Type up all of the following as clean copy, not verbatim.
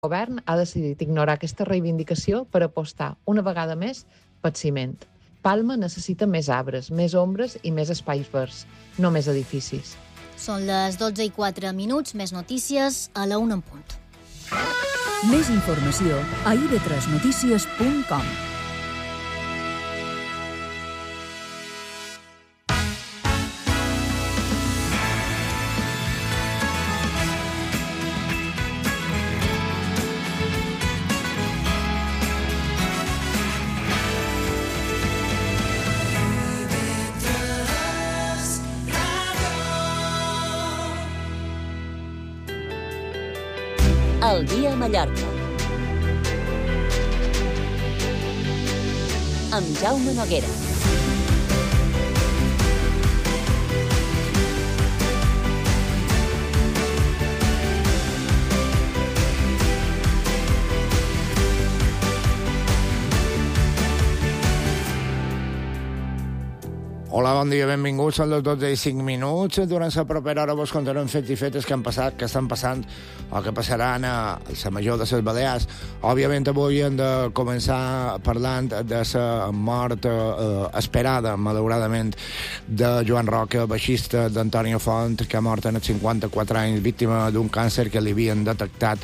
govern ha decidit ignorar aquesta reivindicació per apostar una vegada més pel ciment. Palma necessita més arbres, més ombres i més espais verds, no més edificis. Són les 12:04, més notícies a la 1 en punt. Més informació a ib3notícies.com. El dia a Mallorca. Amb Jaume Noguera. Hola, bon dia, benvinguts. Són les 12:05. Durant la propera hora vos contarem fets i fetes que han passat, que estan passant o que passaran a la major de les Balears. Òbviament, avui hem de començar parlant de la mort esperada, malauradament, de Joan Roca, baixista d'Antonio Font, que ha mort en els 54 anys, víctima d'un càncer que li havien detectat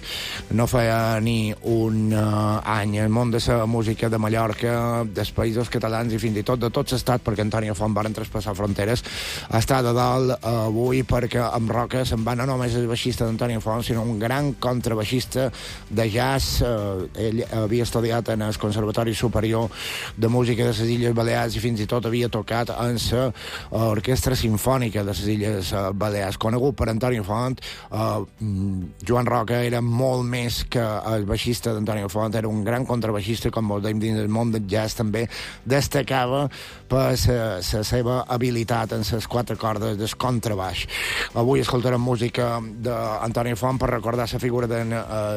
no feia ni un any. El món de la música de Mallorca, dels països catalans i fins i tot de tot l'estat, perquè Antonio Font van traspassar fronteres, està de dalt avui perquè amb Roca se'n va no només el baixista d'Antonio Font, sinó un gran contrabaixista de jazz. Ell havia estudiat en el Conservatori Superior de Música de les Illes Balears i fins i tot havia tocat en l'Orquestra Simfònica de les Illes Balears. Conegut per Antonio Font, Joan Roca era molt més que el baixista d'Antonio Font, era un gran contrabaixista, com vos dèiem, dins del món del jazz també destacava per la seva habilitat en les quatre cordes del contrabaix. Avui escoltarem música d'Antonio Font per recordar la figura d'en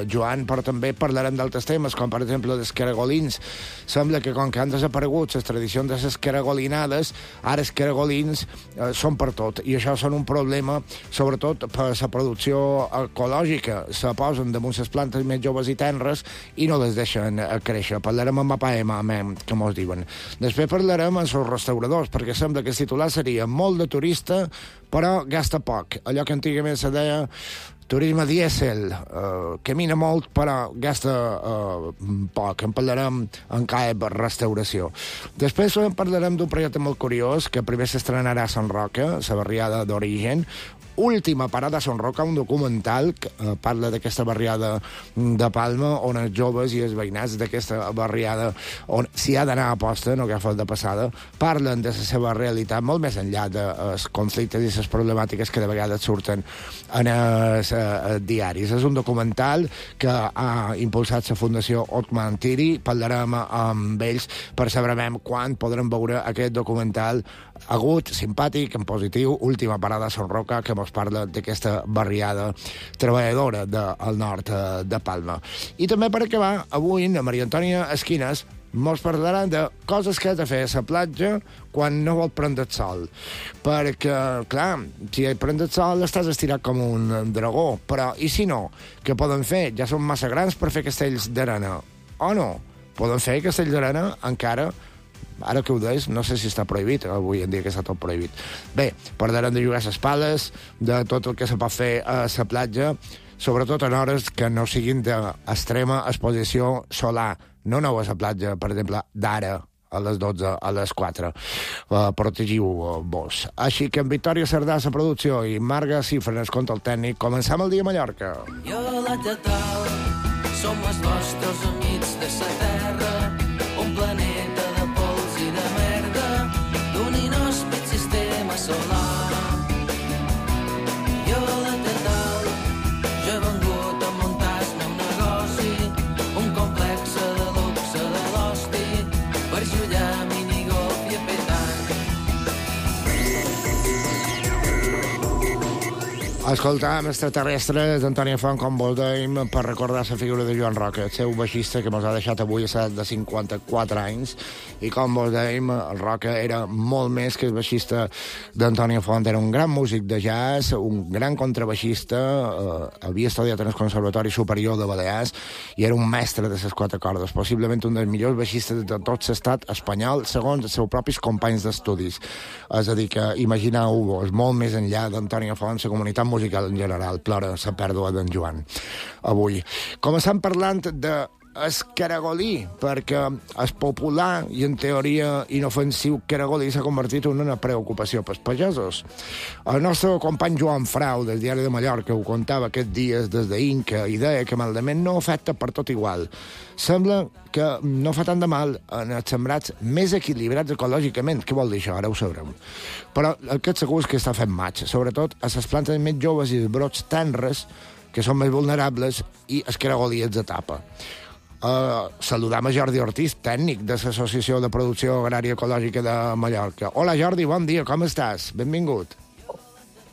Joan, però també parlarem d'altres temes, com per exemple dels caragolins. Sembla que com que han desaparegut les tradicions de les caragolinades, ara els caragolins són per tot, i això són un problema sobretot per la producció ecològica. Se posen damunt les plantes més joves i tenres i no les deixen créixer. Parlarem amb Mapa M, que mos diuen. Després parlarem amb els restauradors, perquè sembla que el titular seria molt de turista, però gasta poc. Allò que antigament se deia turisme dièsel, camina molt però gasta poc. En parlarem en CAEB Restauració. Després parlarem d'un projecte molt curiós que primer s'estrenarà a Sant Roca, la barriada d'Origen. Última parada a Sant Roca, un documental que parla d'aquesta barriada de Palma, on els joves i els veïnats d'aquesta barriada, on s'hi ha d'anar a posta, no agafa de passada, parlen de la seva realitat, molt més enllà dels conflictes i les problemàtiques que de vegades surten en els diaris. És un documental que ha impulsat la Fundació Otman Tiri. Parlarem amb ells per saber quan podrem veure aquest documental agut, simpàtic, en positiu, Última parada a Sant Roca, que ens parla d'aquesta barriada treballadora del nord de Palma. I també per acabar, avui, la Maria Antònia Esquines ens parlaran de coses que has de fer a la platja quan no vol prendre el sol. Perquè, clar, si prendre el sol estàs estirat com un dragó, però i si no? Què poden fer? Ja són massa grans per fer castells d'arena. O no? Poden fer castells d'arena encara. Ara que ho deies, no sé si està prohibit, avui en dia que està tot prohibit. Bé, parlarem de jugar a les pales, de tot el que se pot fer a la platja, sobretot en hores que no siguin d'extrema exposició solar. No aneu a la platja, per exemple, d'ara, a les 12, a les 4. Protegiu-vos. Així que en Victòria Cerdà, la producció, i Marga Cifres, contra el tècnic, comencem el dia a Mallorca. Jo la Tatal, som els vostres amics de sa terra, un planeta de pols i de merda, d'un inhòspit sistema solar. Jo la Tatal, jo he vengut a muntar-me un negoci, un complex de luxe de l'hosti, per jugar minigolf i a petant. Escoltàvem Extraterrestres d'Antònia Font, com vos dèiem, per recordar la figura de Joan Roca, el seu baixista que ens ha deixat avui a l'edat de 54 anys, i com vos dèiem, el Roca era molt més que el baixista d'Antònia Font, era un gran músic de jazz, un gran contrabaixista, havia estudiat en el Conservatori Superior de Balears i era un mestre de les quatre cordes, possiblement un dels millors baixistes de tot l'estat espanyol, segons els seus propis companys d'estudis. És a dir, que imagineu-vos, molt més enllà d'Antònia Font, la comunitat musical en general plora la pèrdua d'en Joan avui. Començant parlant de escaragolí, perquè és popular i en teoria inofensiu caragolí s'ha convertit en una preocupació pels pagesos. El nostre company Joan Frau del Diari de Mallorca ho contava aquests dies des d'Inca i deia que malament no afecta per tot igual. Sembla que no fa tant de mal en els sembrats més equilibrats ecològicament. Què vol dir això? Ara ho sabrem. Però aquest segur és que està fent maig, sobretot a les plantes més joves i els brots tenres, que són més vulnerables, i el caragolí els etapa. Saludam a Jordi Ortiz, tècnic de l'Associació de Producció Agrària Ecològica de Mallorca. Hola Jordi, bon dia, com estàs? Benvingut.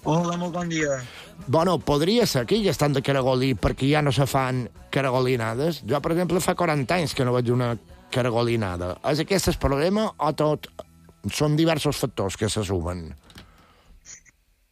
Hola, molt bon dia. Bueno, podria ser que ja estan de caragolí perquè ja no se fan caragolinades. Jo, per exemple, fa 40 anys que no veig una caragolinada. És aquest el problema o tot són diversos factors que se sumen?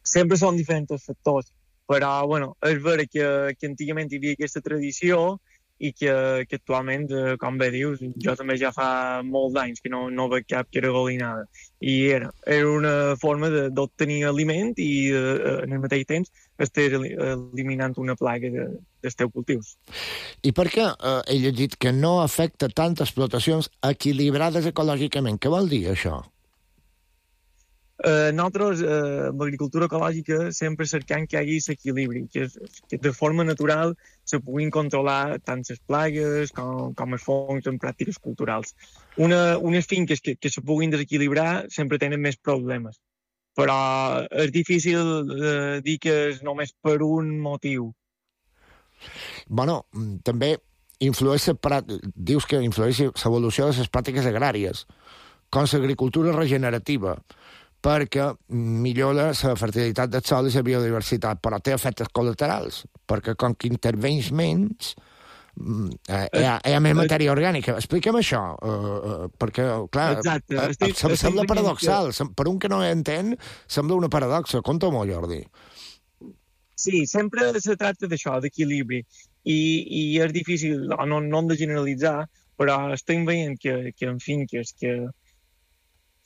Sempre són diferents factors, però, bueno, és vera que antigament hi havia aquesta tradició i que actualment, com bé dius, jo també ja fa molts anys que no veig cap caragolinada. I era una forma d'obtenir aliment i, en el mateix temps, estar eliminant una plaga dels teus cultius. I per què he llegit que no afecta tant explotacions equilibrades ecològicament? Què vol dir això? Nosaltres, amb l'agricultura ecològica, sempre cercam que hi hagi l'equilibri, que de forma natural se puguin controlar tant les plagues com els fongs en pràctiques culturals. Unes finques que se puguin desequilibrar sempre tenen més problemes, però és difícil dir que és només per un motiu. Bueno, també dius que influeix l'evolució de les pràctiques agràries, com l'agricultura regenerativa, perquè millora la fertilitat del sòl i la biodiversitat, però té efectes col·laterals, perquè com que intervenys menys, hi ha més matèria orgànica. Explica'm això, perquè, clar, sembla paradoxal. Per un que no entén, sembla una paradoxa. Conta-m'ho, Jordi. Sí, sempre se tracta d'això, d'equilibri, i és difícil, no hem de generalitzar, però estem veient que en finques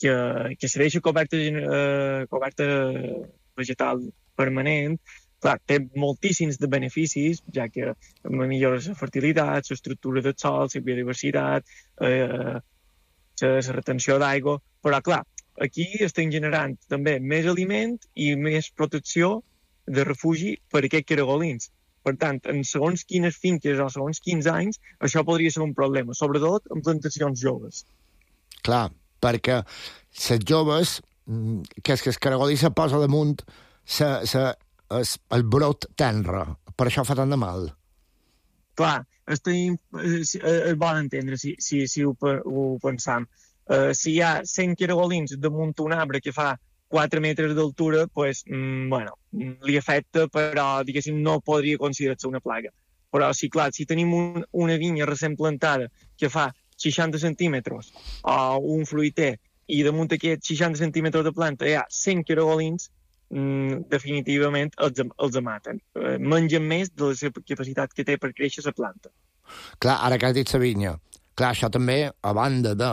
que se deixa coberta vegetal permanent, clar, té moltíssims de beneficis, ja que millora la fertilitat, l'estructura del sòl, la biodiversitat, la retenció d'aigua, però clar, aquí estem generant també més aliment i més protecció de refugi per aquests caragolins. Per tant, en segons quines finques o segons quins anys, això podria ser un problema, sobretot en plantacions joves. Clar, perquè les joves, que és que el caragolí se posa damunt el brot tenre, per això fa tant de mal. Clar, és bon entendre si ho pensam. Si hi ha 100 caragolins damunt un arbre que fa 4 metres d'altura, pues, bueno, li afecta, però, diguéssim, no podria considerar-se una plaga. Però, si tenim una vinya recent plantada que fa 60 centímetres o un fruiter i damunt aquests 60 centímetres de planta hi ha 100 caragolins, definitivament els maten. Mengen més de la capacitat que té per créixer la planta. Clar, ara que has dit la vinya, clar, això també, a banda de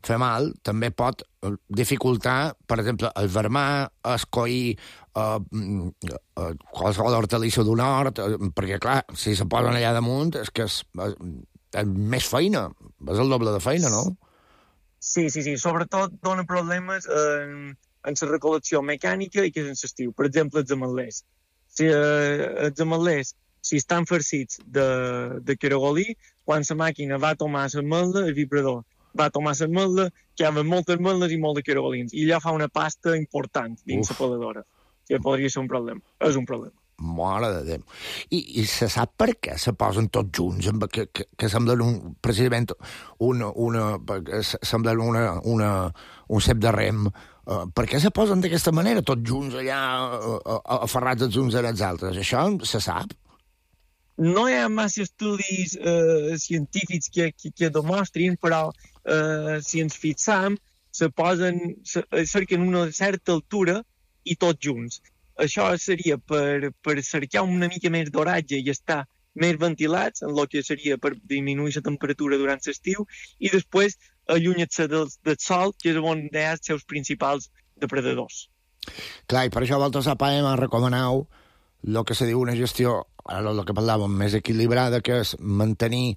fer mal, també pot dificultar, per exemple, el vermar, escoir qualsevol hortalissa d'un hort, perquè, clar, si se posen allà damunt, és que és més feina, és el doble de feina, no? Sí, sobretot dona problemes en la recol·lecció mecànica i que és en l'estiu. Per exemple, els ametlers. Els ametlers, si estan farcits de caragolí, quan la màquina va tomar l'ametla, el vibrador va tomar l'ametla, que hi ha moltes ametles i molt de caragolins, i allò fa una pasta important dins la peladora, que podria ser un problema. És un problema. Mare de Déu. I se sap per què se posen tots junts, que semblen precisament semblen un cep de rem. Per què se posen d'aquesta manera, tots junts allà, aferrats els uns als altres? Això se sap? No hi ha massa estudis científics que demostrin, però si ens fixam, cerquen una certa altura i tots junts. Això seria per cercar una mica més d'oratge i estar més ventilats, en el que seria per disminuir la temperatura durant l'estiu, i després allunyar-se del sol, que és on hi ha els seus principals depredadors. Clar, i per això vosaltres a PAEM recomaneu el que se diu una gestió, ara el que parlàvem, més equilibrada, que és mantenir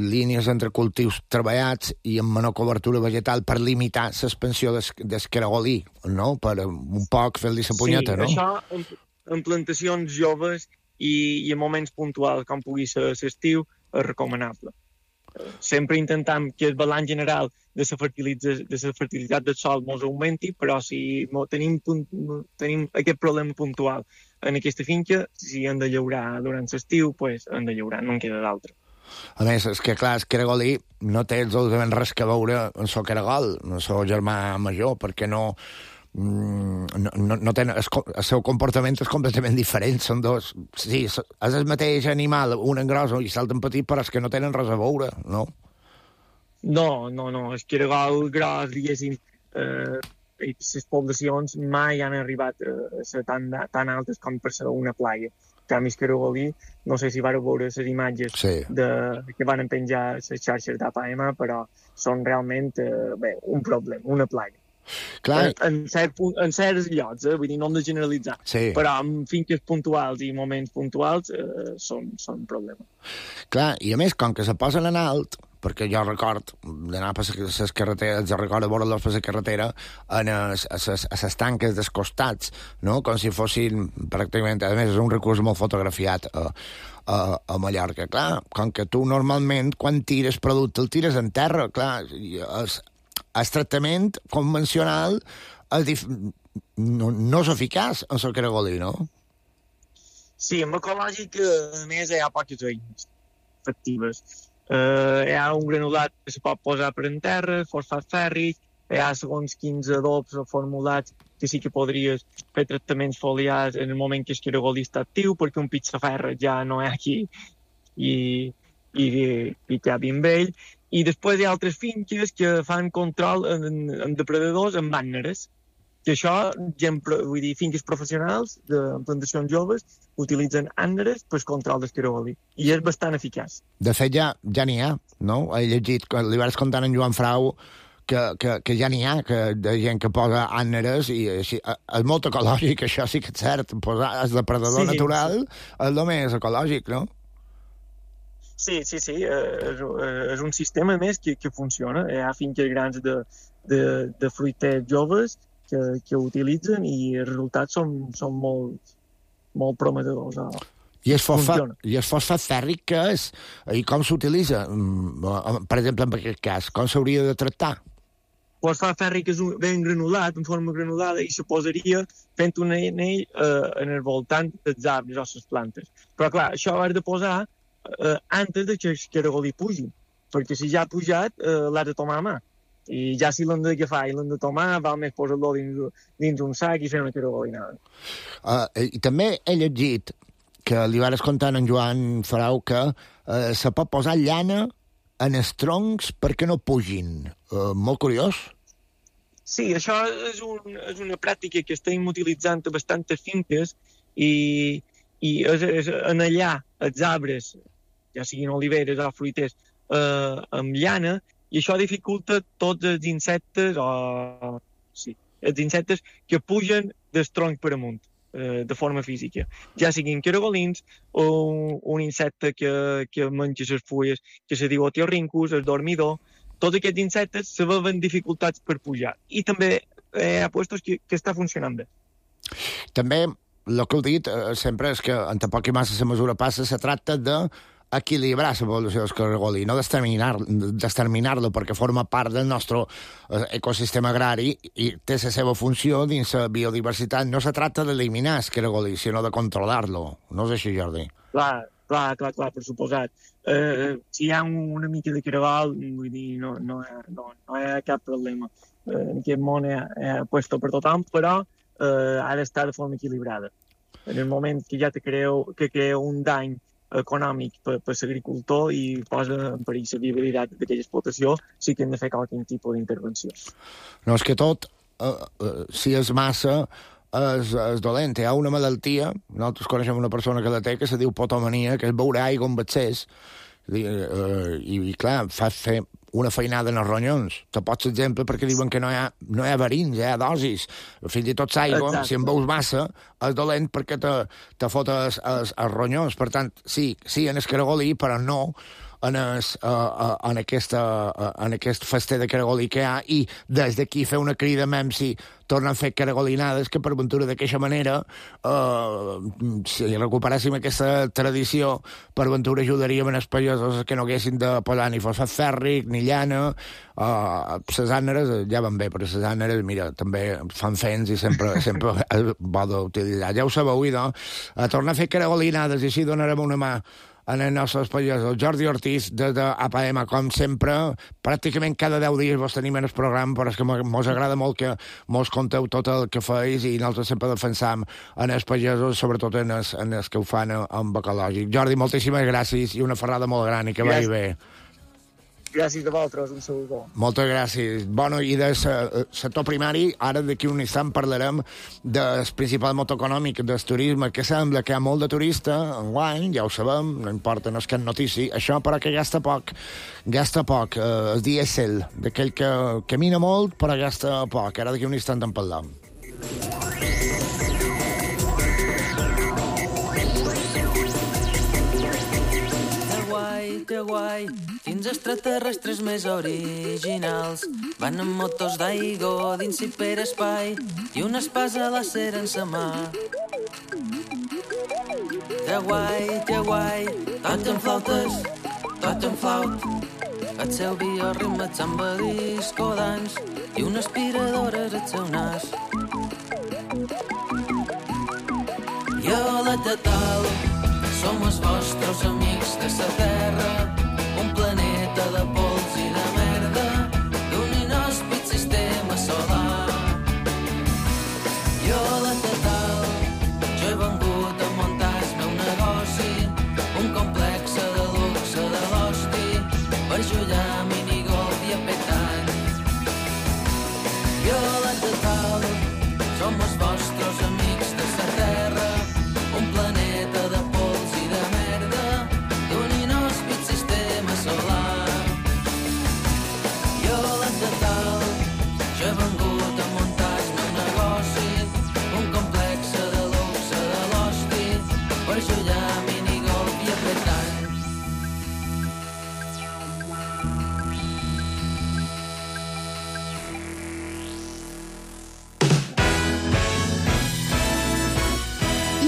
línies entre cultius treballats i amb menor cobertura vegetal per limitar l'expansió del caragolí, no? Per un poc fer-li la punyeta, no? Sí, això en plantacions joves i en moments puntuals, com pugui ser l'estiu, és recomanable. Sempre intentam que el balanç general de la fertilitat del sòl ens augmenti, però si tenim aquest problema puntual en aquesta finca, si hem de llaurar durant l'estiu, doncs hem de llaurar, no en queda d'altre. A més, és que, clar, el caragolí no té absolutament res que veure amb el caragol, amb el seu germà major, perquè no tenen, el seu comportament és completament diferent, són dos, sí, és el mateix animal, un en gros i l'altre en petit, però és que no tenen res a veure, no? No, el caragol gros, diguéssim, les poblacions mai han arribat a ser tan altes com per ser una plaga. En canvi, el caragolí, no sé si vareu veure les imatges que van penjar les xarxes d'APM, però són realment un problema, una plaga. Clar. En certs llocs, vull dir, no hem de generalitzar, però en finques puntuals i moments puntuals són un problema. Clar, i a més, com que se posen en alt, perquè jo record d'anar per les carreteres, jo recordo veure-los per la carretera a les tanques dels costats, no? Com si fossin pràcticament, a més és un recurs molt fotografiat a Mallorca. Clar, com que tu normalment quan tires producte el tires en terra, clar, el tractament convencional no és eficaç en el caragolí, no? Sí, amb ecològic, a més, hi ha poques eines efectives. Hi ha un granulat que se pot posar per en terra, fosfat fèrric, hi ha segons quins adobs o formulats que sí que podries fer tractaments foliars en el moment que el caragolí està actiu, perquè un pizzaferra ja no és aquí i ja ben vell. I després hi ha altres finques que fan control en depredadors amb àneres, que això, vull dir, finques professionals de plantacions joves utilitzen àneres per control del caragolí, i és bastant eficaç. De fet, ja n'hi ha, no? He llegit, li vas contant en Joan Frau, que ja n'hi ha, de gent que posa àneres, i així, és molt ecològic, això sí que és cert, posar el depredador natural és el més ecològic, no? Sí, és un sistema més que funciona. Hi ha finques grans de fruiters joves que utilitzen i els resultats són molt prometedors. I el fosfat fèrric què és? I com s'utilitza? Per exemple, en aquest cas, com s'hauria de tractar? El fosfat fèrric és ben granulat, en forma granulada, i se posaria fent un anell en el voltant dels arbres o les plantes. Però, clar, això ho has de posar antes de que el caragolí pugi, perquè si ja ha pujat l'has de tomar a mà. I ja si l'hem d'agafar i l'hem de tomar, val més posar-lo dins un sac i fer una caragolinada. I també he llegit que li vas contar en Joan Farau que se pot posar llana en els troncs perquè no pugin. Molt curiós. Sí, això és una pràctica que estem utilitzant a bastantes finques i és anellar els arbres, ja siguin oliveres o fruiters, amb llana, i això dificulta tots els insectes els insectes que pugen del tronc per amunt de forma física, ja siguin caragolins o un insecte que menja les fulles que se diu otiorhynchus, el dormidor. Tots aquests insectes se veuen dificultats per pujar, i també hi ha puestos que està funcionant bé. També el que heu dit sempre és que en tampoc i massa la mesura passa, se tracta de equilibrar la població del cargolí, no d'exterminar-lo perquè forma part del nostre ecosistema agrari i té la seva funció dins la biodiversitat. No se tracta d'eliminar el cargolí, sinó de controlar-lo. No és així, Jordi? Clar, per suposat. Si hi ha una mica de caragol, vull dir, no hi ha cap problema. En aquest món hi ha puesto per tothom, però ha d'estar de forma equilibrada. En el moment que ja que crea un dany econòmic per l'agricultor i posa en perill la viabilitat d'aquella explotació, sí que hem de fer qualsevol tipus d'intervenció. No, és que tot, si és massa, és dolent. Hi ha una malaltia, nosaltres coneixem una persona que la té, que se diu potomania, que és beure aigua amb excés, i clar, fa fer una feinada en els ronyons. Te pots exemple perquè diuen que no hi ha verins, hi ha dosis. Fins i tot l'aigua, si en veus massa, és dolent perquè te fot els ronyons. Per tant, sí, en el caragolí, però no en aquest fester de caragolí que hi ha, i des d'aquí fer una crida si tornen a fer caragolinades, que per ventura d'aquesta manera, si recuperéssim aquesta tradició, per ventura ajudaríem els pagesos que no haguessin de posar ni fosfat fèrric, ni llana. Les àneres ja van bé, però les àneres, mira, també fan fens i sempre és bo d'utilitzar. Ja ho sabeu, a tornar a fer caragolinades i així donarem una mà en els nostres pagesos. Jordi Ortiz, des d'APM, com sempre, pràcticament cada 10 dies vos tenim en el programa, però és que mos agrada molt que mos conteu tot el que feis i nosaltres sempre defensam en els pagesos, sobretot en els que ho fan amb ecològic. Jordi, moltíssimes gràcies i una ferrada molt gran i que vagi bé. Gràcies a vosaltres, un saludo. Moltes gràcies. Bueno, i del sector primari, ara d'aquí un instant parlarem del principal motor econòmic del turisme, que sembla que hi ha molt de turista enguany, ja ho sabem, no importa, no és cap notícia, això però que gasta poc, el dièsel, d'aquell que camina molt però gasta poc. Ara d'aquí un instant en parlem. Que guai, quins extraterrestres més originals van amb motors d'aigua dins hiperespai i una espasa làser en sa mà. Que guai, toquen flautes, toquen flaut, el seu bioritme samba disco dance i una aspiradora al seu nas. Jo la Tatal, som els vostres amics de la Terra, un planeta de pols i de merda, d'un inhòspit sistema solar. Jo, la Tatal, jo he vengut a muntar el meu negoci, un complex de luxe de l'hosti, per jugar a minigolf i a petant. Jo, la Tatal, som els vostres amics de la Terra, un planeta de pols i de merda, d'un inhòspit sistema solar. Jo, la Tatal, jo he vengut a muntar el meu negoci, un complex de luxe de l'hosti, per jugar a minigolf i a petant.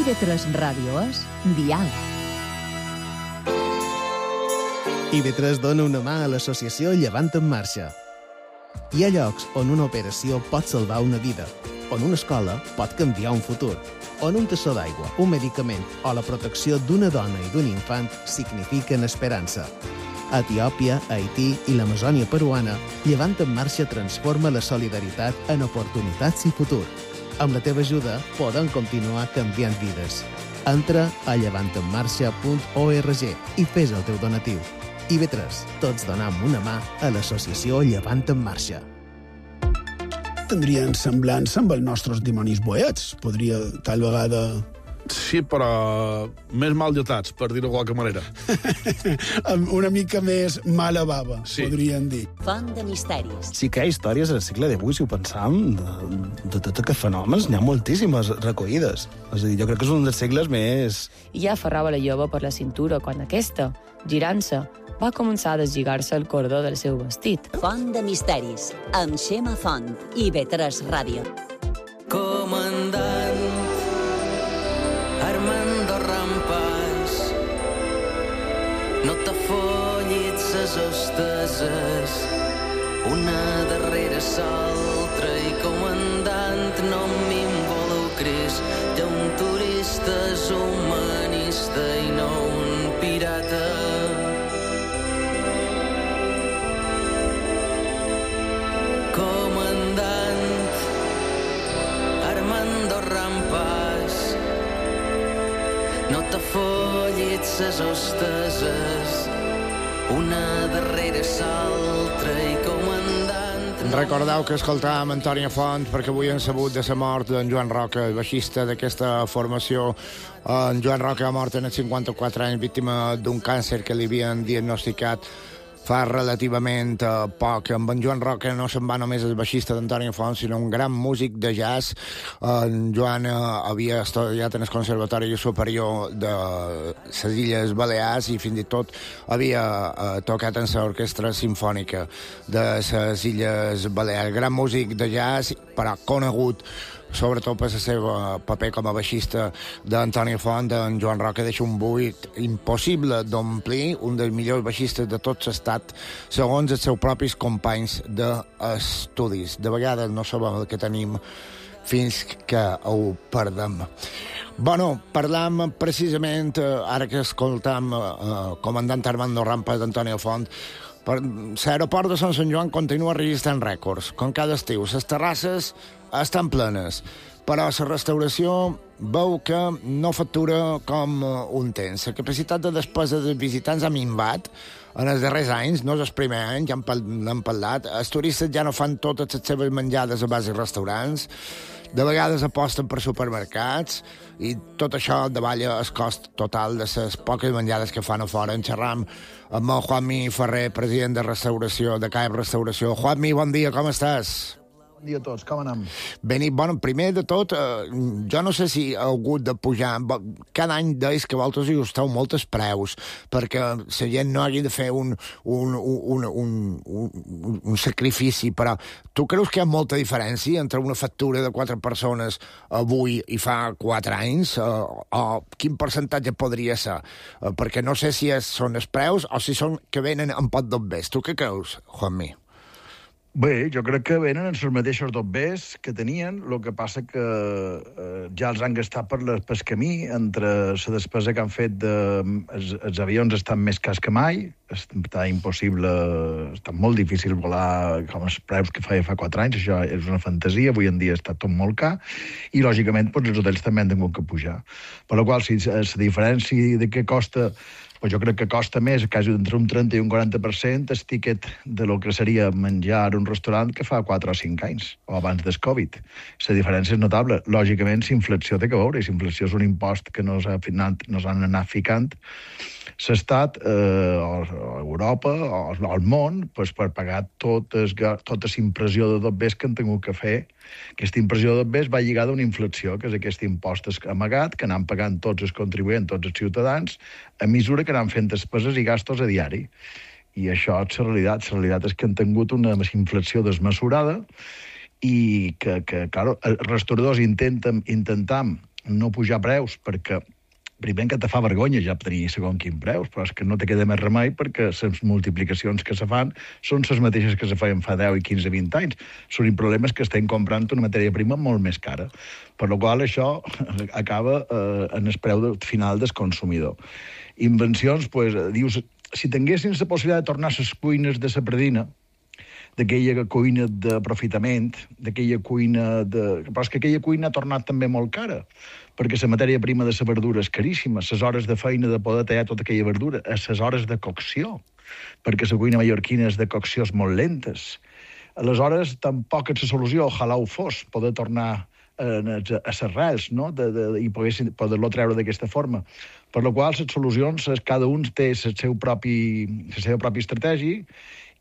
IB3 Ràdio és Diàleg. IB3 dona una mà a l'associació Llevant en Marxa. Hi ha llocs on una operació pot salvar una vida, on una escola pot canviar un futur, on un tassó d'aigua, un medicament o la protecció d'una dona i d'un infant signifiquen esperança. A Etiòpia, Haití i l'Amazònia peruana, Llevant en Marxa transforma la solidaritat en oportunitats i futur. Amb la teva ajuda podem continuar canviant vides. Entra a llevantenmarxa.org i fes el teu donatiu. IB3, tots donam una mà a l'associació Llevant en Marxa. Tindrien semblança amb els nostres dimonis boets. Podria, tal vegada... Sí, però més mal dotats, per dir-ho de qualque manera. Una mica més mala bava, sí. Podrien dir. Font de misteris. Sí que hi ha històries al segle XVIII, si ho pensam, de tots aquests fenòmens, n'hi ha moltíssimes recollides. És a dir, jo crec que és un dels segles més... I ja aferrava la jove per la cintura quan aquesta, girant-se, va començar a deslligar-se el cordó del seu vestit. Font de misteris, amb Xema Font, IB3 Ràdio. Comandant Armando Rampas, ses hosteses, una darrere l'altra, i comandant, no m'involucris, que un turista és humanista i no un pirata. Comandant Armando Rampas, no t'afollis ses hosteses, una darrere l'altra, i comandant... Recordeu que escoltàvem Antònia Font perquè avui han sabut de la mort d'en Joan Roca, el baixista d'aquesta formació. En Joan Roca ha mort en els 54 anys, víctima d'un càncer que li havien diagnosticat fa relativament poc. Amb en Joan Roca no se'n va només el baixista d'Antònia Font, sinó un gran músic de jazz. En Joan havia estudiat en el Conservatori Superior de les Illes Balears i fins i tot havia tocat en l'orquestra simfònica de les Illes Balears. Gran músic de jazz, però conegut sobretot per el seu paper com a baixista d'Antònia Font. En Joan Roca deixa un buit impossible d'omplir, un dels millors baixistes de tot l'estat, segons els seus propis companys d'estudis. De vegades no sabem el que tenim fins que ho perdem. Bueno, parlam precisament, ara que escoltam comandant Armando Rampas d'Antònia Font, l'aeroport de Sant Joan continua registrant rècords, com cada estiu. Les terrasses estan plenes, però la restauració veu que no factura com un temps. La capacitat de despesa dels visitants ha minvat en els darrers anys, no és el primer any, ja n'hem parlat. Els turistes ja no fan totes les seves menjades a base de restaurants, de vegades aposten per supermercats, i tot això davalla el cost total de les poques menjades que fan a fora. En xerram amb el Juanmi Ferrer, president de restauració, de CAEP Restauració. Juanmi, bon dia, com estàs? Bon dia a tots, com anem? Bueno, primer de tot, jo no sé si ha hagut de pujar. Cada any deis que vosaltres hi esteu molts preus, perquè la gent no hagi de fer un sacrifici, però tu creus que hi ha molta diferència entre una factura de 4 persones avui i fa 4 anys? O quin percentatge podria ser? Perquè no sé si són els preus o si són que venen en pot dobbers. Tu què creus, Juanmi? Bé, jo crec que venen els mateixos dobbers que tenien, el que passa que ja els han gastat pel camí, entre la despesa que han fet els avions estan més cars que mai, està impossible, està molt difícil volar com els preus que feia fa 4 anys, això és una fantasia, avui en dia està tot molt car, i lògicament els hotels també han tingut que pujar. Per la qual, si la diferència de què costa, jo crec que costa més, quasi entre un 30 i un 40%, el tiquet de lo que seria menjar a un restaurant que fa 4 o 5 anys, o abans del Covid. La diferència és notable. Lògicament, la inflació té que veure, i la inflació és un impost que nos han anat ficant l'Estat, o Europa, o el món, per pagar tota la impressió de dobbers que han tingut que fer. Aquesta impressió de dobbers va lligada a una inflació, que és aquest impost amagat, que anem pagant tots els contribuents, tots els ciutadans, a mesura que anem fent despeses i gastos a diari. I això és la realitat. La realitat és que han tingut una inflació desmesurada i que clar, els restauradors intentam no pujar preus perquè primer que te fa vergonya ja tenir segons quin preus, però és que no te queda més remei perquè les multiplicacions que se fan són les mateixes que se feien fa 10 i 15, 20 anys. Són problemes que estem comprant una matèria prima molt més cara. Per la qual això acaba en el preu final del consumidor. Invencions, dius, si tinguessin la possibilitat de tornar a les cuines de la Pradina, d'aquella cuina d'aprofitament, d'aquella cuina de... Però és que aquella cuina ha tornat també molt cara, perquè la matèria prima de la verdura és caríssima, les hores de feina de poder tallar tota aquella verdura, les hores de cocció, perquè la cuina mallorquina és de coccions molt lentes. Aleshores, tampoc és la solució, ojalà ho fos, poder tornar a les arrels, no? I poder-lo treure d'aquesta forma. Per la qual les solucions, cada un té la seva pròpia estratègia,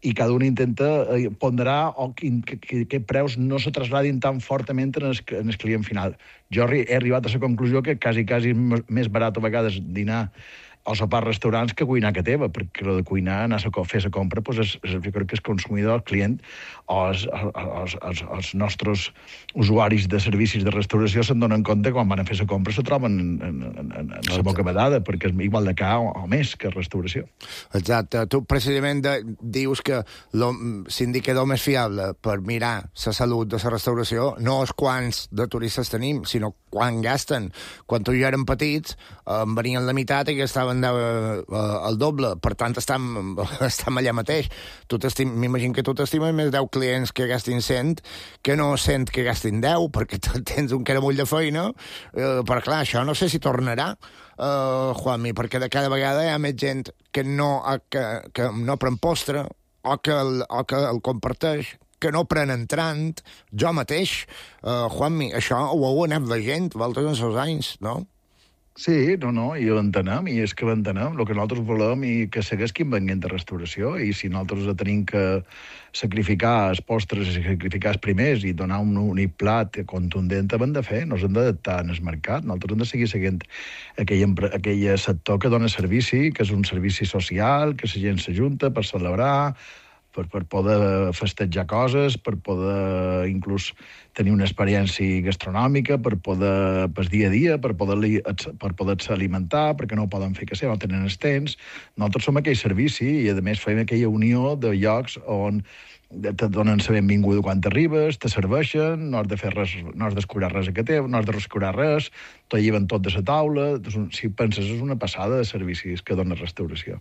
i cada un intenta ponderar que preus no se trasladin tan fortament en el client final. Jo he arribat a la conclusió que quasi és més barat a vegades dinar o sopar restaurants que cuinar que teva, perquè el de cuinar, anar a fer la compra, doncs jo crec que el consumidor, el client, o els nostres usuaris de servicis de restauració se'n donen compte quan van a fer la compra se troben en la boca badada, perquè és igual de car o més que restauració. Exacte. Tu precisament dius que l'indicador més fiable per mirar la salut de la restauració no és quants de turistes tenim, sinó quan gasten. Quan tu i jo érem petits, venien la meitat i gastaven el doble. Per tant, estem allà mateix. M'imagino que tu t'estimes més 10 clients que gastin 100 que no 100 que gastin 10, perquè tens un caramull de feina. Però clar, això no sé si tornarà, Juanmi, perquè de cada vegada hi ha més gent que no pren postre o que el comparteix, que no pren entrant. Jo mateix, Juanmi, això ho heu anat veient vosaltres en els anys, no? Sí, no, i l'entenem, i és que l'entenem, el que nosaltres volem i que segueixin venint de restauració, i si nosaltres tenim que sacrificar els postres i sacrificar els primers i donar un únic plat contundent, hem de fer, no ens hem d'adaptar en el mercat, nosaltres hem de seguir seguint aquell sector que dona servici, que és un servici social, que la gent s'ajunta per celebrar, per poder festejar coses, per poder inclús tenir una experiència gastronòmica, per poder, per dia a dia, per poder-se alimentar, perquè no ho poden fer que ser, no tenen els temps. Nosaltres som aquell servici i, a més, fem aquella unió de llocs on te donen la benvinguda quan t'arribes, te serveixen, no has de fer res, no has d'escurar res a que teu, no has de rescurar res, t'ho lleven tot de la taula. Si penses, és una passada de servicis que dona restauració.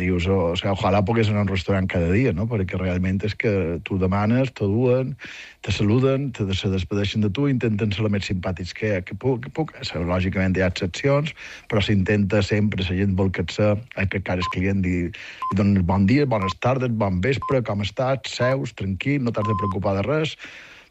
Dius, ojalà pogués anar a un restaurant cada dia, no? Perquè realment és que tu demanes, te duen, te saluden, se despedeixen de tu, intenten ser el més simpàtics que puc. Lògicament hi ha excepcions, però s'intenta sempre, la gent vol que cara el client i donen bon dia, bones tardes, bon vespre, com estàs, seus, tranquil, no t'has de preocupar de res,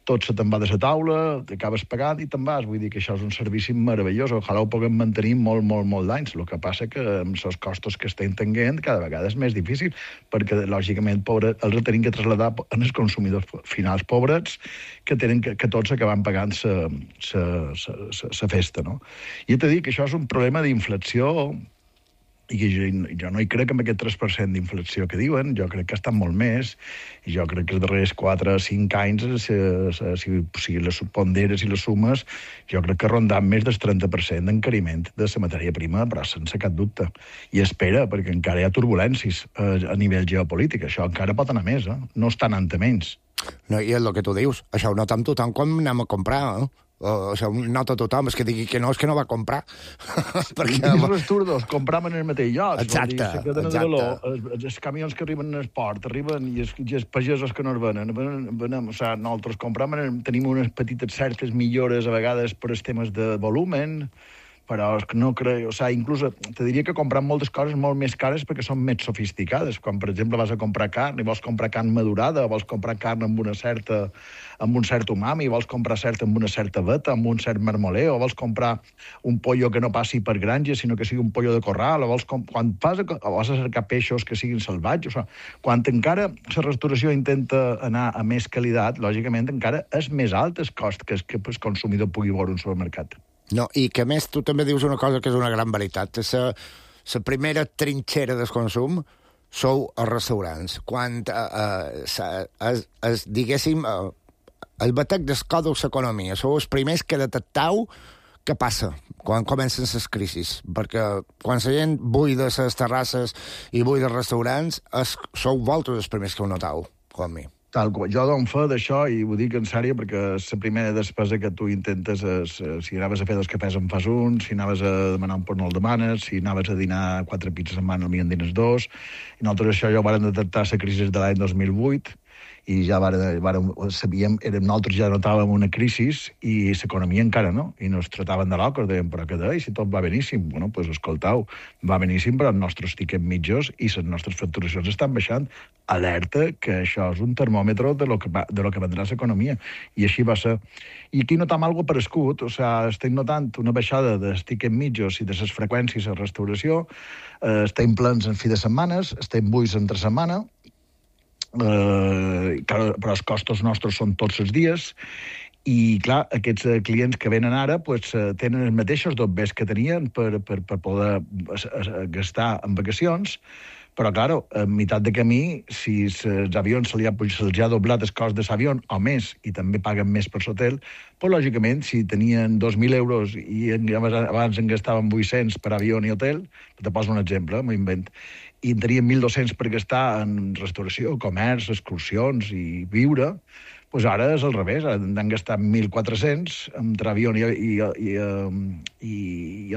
tot se te'n va de la taula, t'acabes pagant i te'n vas. Vull dir que això és un servici meravellós, ojalà ho puguem mantenir molt d'anys. El que passa que amb els costos que estem tenint cada vegada és més difícil, perquè lògicament els tenim que traslladar en els consumidors finals pobrets que tots acaben pagant la festa, no? I he de dir que això és un problema d'inflació, i jo no hi crec amb aquest 3% d'inflació que diuen, jo crec que estan molt més, i jo crec que els darrers 4 o 5 anys, si les ponderes i les sumes, jo crec que rondant més del 30% d'encariment de la matèria prima, però sense cap dubte. I espera, perquè encara hi ha turbulències a nivell geopolític, això encara pot anar més, no està anant a menys. No, i és el que tu dius, això ho nota amb tothom quan anem a comprar, això ho nota tothom, és que digui que no va comprar. Perquè els turdos compram en el mateix lloc. Exacte. Els camions que arriben en el port, arriben i els pagesos que no es venen. Nosaltres compram, tenim unes petites certes millores a vegades per els temes de volumen, però no crec, inclús te diria que compram moltes coses molt més cares perquè són més sofisticades. Quan, per exemple, vas a comprar carn i vols comprar carn madurada, vols comprar carn amb un cert umami, vols comprar amb una certa veta, amb un cert marmoleo, vols comprar un pollo que no passi per granja, sinó que sigui un pollo de corral, quan vas a cercar peixos que siguin salvatges, quan encara la restauració intenta anar a més qualitat, lògicament encara és més alt el cost que el consumidor pugui veure un supermercat. No, i que més tu també dius una cosa que és una gran veritat. La primera trinxera del consum sou els restaurants. Quan, diguéssim, el batec del còdex d'economia, sou els primers que detectau què passa quan comencen les crisis. Perquè quan la gent buida les terrasses i buida els restaurants, sou vosaltres els primers que ho notau, com mi. Jo dono fe d'això i ho dic en sèrio perquè la primera despesa que tu intentes és si anaves a fer 2 cafès en fas un, si anaves a demanar un porc no el demanes, si anaves a dinar 4 pizzas en setmana en dines 2. I nosaltres això ja ho vàrem detectar la crisi de l'any 2008 i ja sabíem, nosaltres ja notàvem una crisi i l'economia encara no, i nos trataven de locos, deien, però què deia, si tot va beníssim. Bueno, doncs escoltau, va beníssim, però els nostres tiquets mitjos i les nostres facturacions estan baixant. Alerta que això és un termòmetre de lo que vendrà l'economia. I així va ser. I aquí notam algo parescut, estem notant una baixada dels tiquets mitjos i de les freqüències a restauració, estem plens en fi de setmanes, estem buits entre setmana, però els costos nostres són tots els dies I, clar, aquests clients que venen ara tenen els mateixos dobbers que tenien per poder gastar en vacacions, però, clar, a meitat de camí, si els avions se'ls ha doblat el cost de l'avió o més, i també paguen més per l'hotel, doncs, lògicament, si tenien 2.000 euros i abans en gastaven 800 per avió i hotel, te poso un exemple, m'ho invent, i en tenien 1.200 per gastar en restauració, comerç, excursions i viure, doncs ara és al revés, han gastat 1.400 entre avió i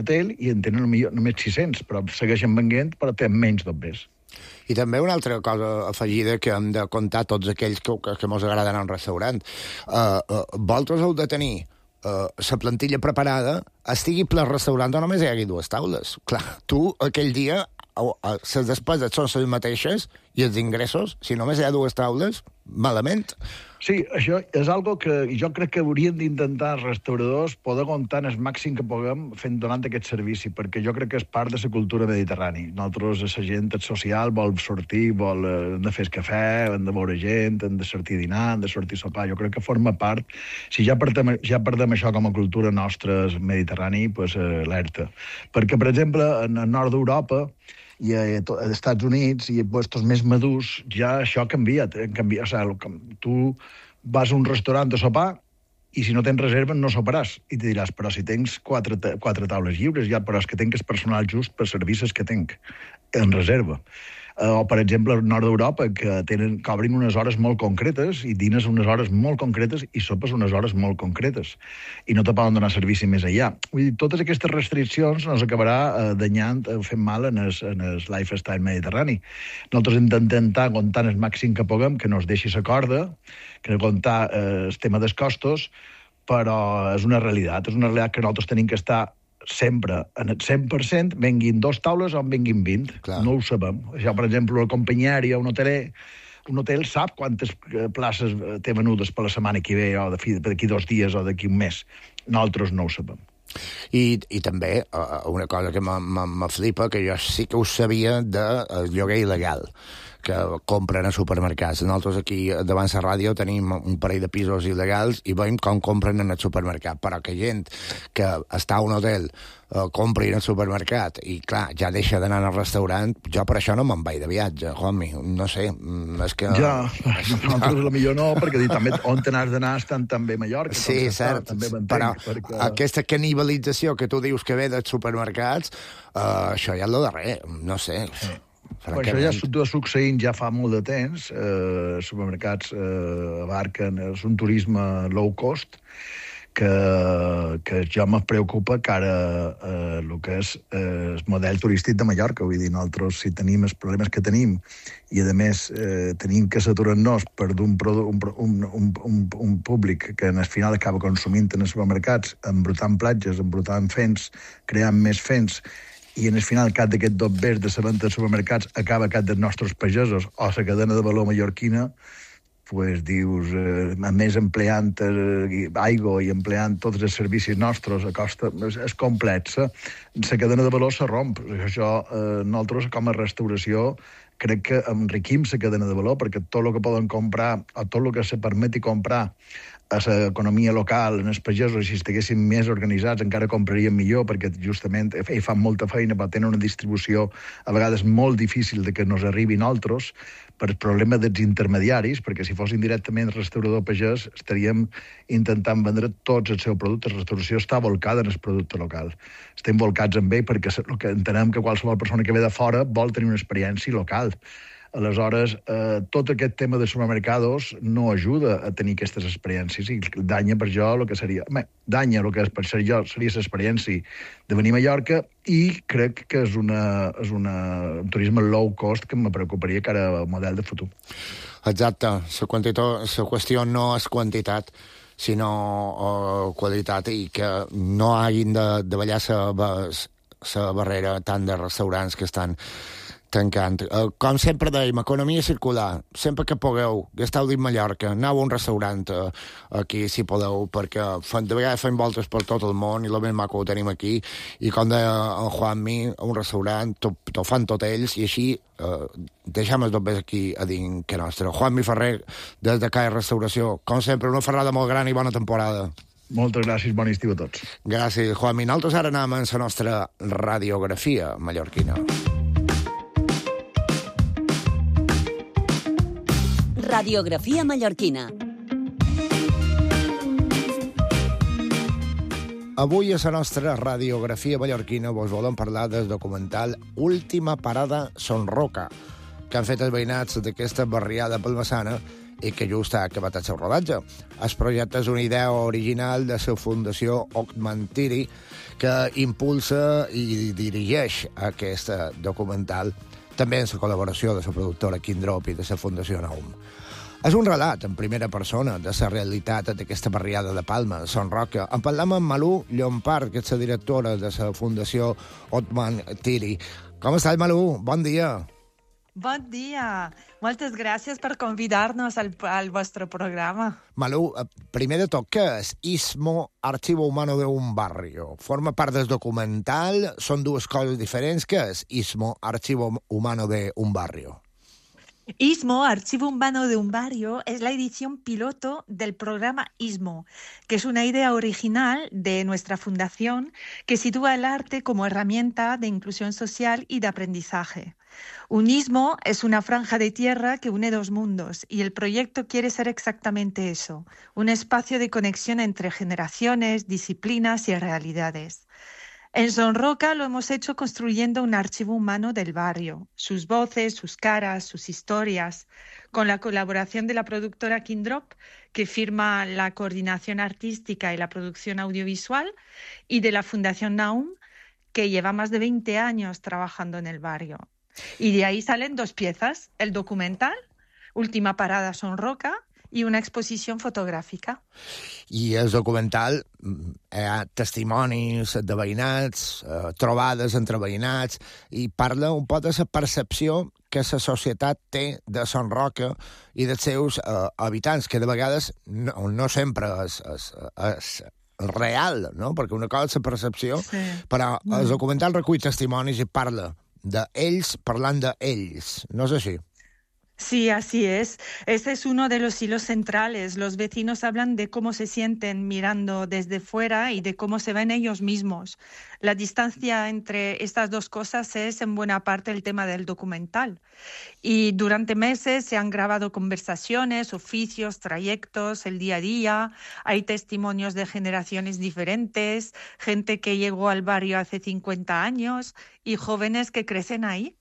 hotel i en tenen només 600, però segueixen venent però tenen menys dobbers. I també una altra cosa afegida que hem de contar tots aquells que mos agrada anar a un restaurant. Vosaltres heu de tenir la plantilla preparada, estigui ple el restaurant o només hi hagi 2 taules. Clar, tu aquell dia les despeses són les mateixes i els ingressos, si només hi ha 2 taules, malament. Sí, això és algo que jo crec que hauríem d'intentar els restauradors poder comptar el màxim que puguem donant aquest servici, perquè jo crec que és part de la cultura mediterrània. Nosaltres, la gent social, vol sortir, hem de fer cafè, hem de veure gent, hem de sortir a dinar, hem de sortir a sopar. Jo crec que forma part. Si ja perdem això com a cultura nostra mediterrània, doncs alerta. Perquè, per exemple, en el nord d'Europa i als Estats Units i puestos més madurs, ja això ha canviat. O sigui, tu vas a un restaurant a sopar i si no tens reserva no soparàs. I te diràs, però si tens 4 taules lliures, ja, però és que tenc el personal just per servicis que tenc en reserva. O, per exemple, al nord d'Europa, que cobrin unes hores molt concretes i dines unes hores molt concretes i sopes unes hores molt concretes. I no te poden donar servici més allà. Vull dir, totes aquestes restriccions ens acabarà danyant, fent mal en el lifestyle mediterrani. Nosaltres hem d'intentar comptar el màxim que puguem, que no es deixi la corda, que no comptar el tema dels costos, però és una realitat que nosaltres tenim que estar sempre, en el 100%, venguin 2 taules o en venguin 20. Clar. No ho sabem. Això, per exemple, la companyia aèria, un hotel sap quantes places té venudes per la setmana que ve, o d'aquí 2 dies, o d'aquí un mes. Nosaltres no ho sabem. I també una cosa que m'aflipa, que jo sí que ho sabia del lloguer il·legal que compren a supermercats. Nosaltres aquí davant la ràdio tenim un parell de pisos il·legals i veiem com compren en el supermercat, però que gent que està a un hotel compri en el supermercat i, clar, ja deixa d'anar al restaurant, jo per això no me'n vaig de viatge, homie, no sé, és que... Ja, nosaltres millor no, perquè també on t'has d'anar estan també a Mallorca. Sí, cert, però aquesta canibalització que tu dius que ve dels supermercats, això ja és el darrer, no sé... Però això ja està succeint ja fa molt de temps. Supermercats abarquen... És un turisme low cost que ja me preocupa que ara el que és el model turístic de Mallorca. Vull dir, nosaltres, si tenim els problemes que tenim i, a més, tenim que saturar-nos per un públic que al final acaba consumint en els supermercats, embrutant platges, embrutant fents, creant més fents, i en el final cap d'aquest dobbers de la venda de supermercats acaba cap dels nostres pagesos o la cadena de valor mallorquina, pues dius, a més empleant aigua i empleant tots els servicis nostres a costa, és complexa. La cadena de valor se romp. Això, nosaltres, com a restauració, crec que enriquim la cadena de valor, perquè tot el que poden comprar, o tot el que se permeti comprar a l'economia local, en els pagesos, si estiguessin més organitzats, encara comprarien millor, perquè justament fan molta feina, però tenen una distribució a vegades molt difícil de que nos arribi a nosaltres, per el problema dels intermediaris, perquè si fossin directament restaurador pagès, estaríem intentant vendre tots els seus productes. La restauració està volcada en el producte local. Estem volcats en ell perquè entenem que qualsevol persona que ve de fora vol tenir una experiència local. Aleshores, tot aquest tema de supermercados no ajuda a tenir aquestes experiències i danya per jo el que seria... Danya el que per ser jo seria l'experiència de venir a Mallorca i crec que és un turisme low cost que me preocuparia que era el model de futur. Exacte. La qüestió no és quantitat, sinó qualitat, i que no hagin de ballar la barrera tant de restaurants que estan T'encanta. Com sempre dèiem, economia circular. Sempre que pugueu, gasteu dins Mallorca, aneu a un restaurant aquí, si podeu, perquè de vegades fem voltes per tot el món i el més maco ho tenim aquí. I com deia en Juanmi, a un restaurant, t'ho fan tot ells, i així deixem els dobbers aquí a dins que nostre. Juanmi Ferrer, des de CAE Restauració. Com sempre, una ferrada molt gran i bona temporada. Moltes gràcies, bon estiu a tots. Gràcies, Juanmi. Nosaltres ara anem a la nostra radiografia mallorquina. Radiografia mallorquina. Avui a la nostra radiografia mallorquina vos volem parlar del documental Última parada Son Roca, que han fet els veïnats d'aquesta barriada palmassana i que just ha acabat el seu rodatge. El projecte és una idea original de la Fundació Ockman Tiri, que impulsa i dirigeix aquest documental, també en la col·laboració de la productora Kindrop i de la Fundació Naum. És un relat en primera persona de la realitat d'aquesta barriada de Palma, Son Roca. En parlam amb Malú Llompart, que és la directora de la Fundació Ockman Tiri. Com estàs, Malú? Bon dia. Bon dia. Moltes gràcies per convidar-nos al vostre programa. Malú, primer de tot, què és ISMO, Archivo Humano de un Barrio? Forma part del documental? Són dues coses diferents? Què és ISMO, Archivo Humano de un Barrio? ISMO, Archivo Humano de un Barrio, es la edición piloto del programa ISMO, que es una idea original de nuestra fundación que sitúa el arte como herramienta de inclusión social y de aprendizaje. Un istmo es una franja de tierra que une dos mundos y el proyecto quiere ser exactamente eso, un espacio de conexión entre generaciones, disciplinas y realidades. En Son Roca lo hemos hecho construyendo un archivo humano del barrio, sus voces, sus caras, sus historias, con la colaboración de la productora Kindrop, que firma la coordinación artística y la producción audiovisual, y de la Fundación Naum, que lleva más de 20 años trabajando en el barrio. Y de ahí salen dos piezas, el documental, Última parada Son Roca, i una exposició fotogràfica. I el documental, hi ha testimonis de veïnats, trobades entre veïnats, i parla un poc de la percepció que la societat té de Son Roca i dels seus habitants, que de vegades no sempre és real, no? Perquè una cosa és la percepció, sí. Però el documental recull testimonis i parla d'ells parlant d'ells, no és així? Sí, así es. Ese es uno de los hilos centrales. Los vecinos hablan de cómo se sienten mirando desde fuera y de cómo se ven ellos mismos. La distancia entre estas dos cosas es en buena parte el tema del documental. Y durante meses se han grabado conversaciones, oficios, trayectos, el día a día. Hay testimonios de generaciones diferentes, gente que llegó al barrio hace 50 años y jóvenes que crecen ahí.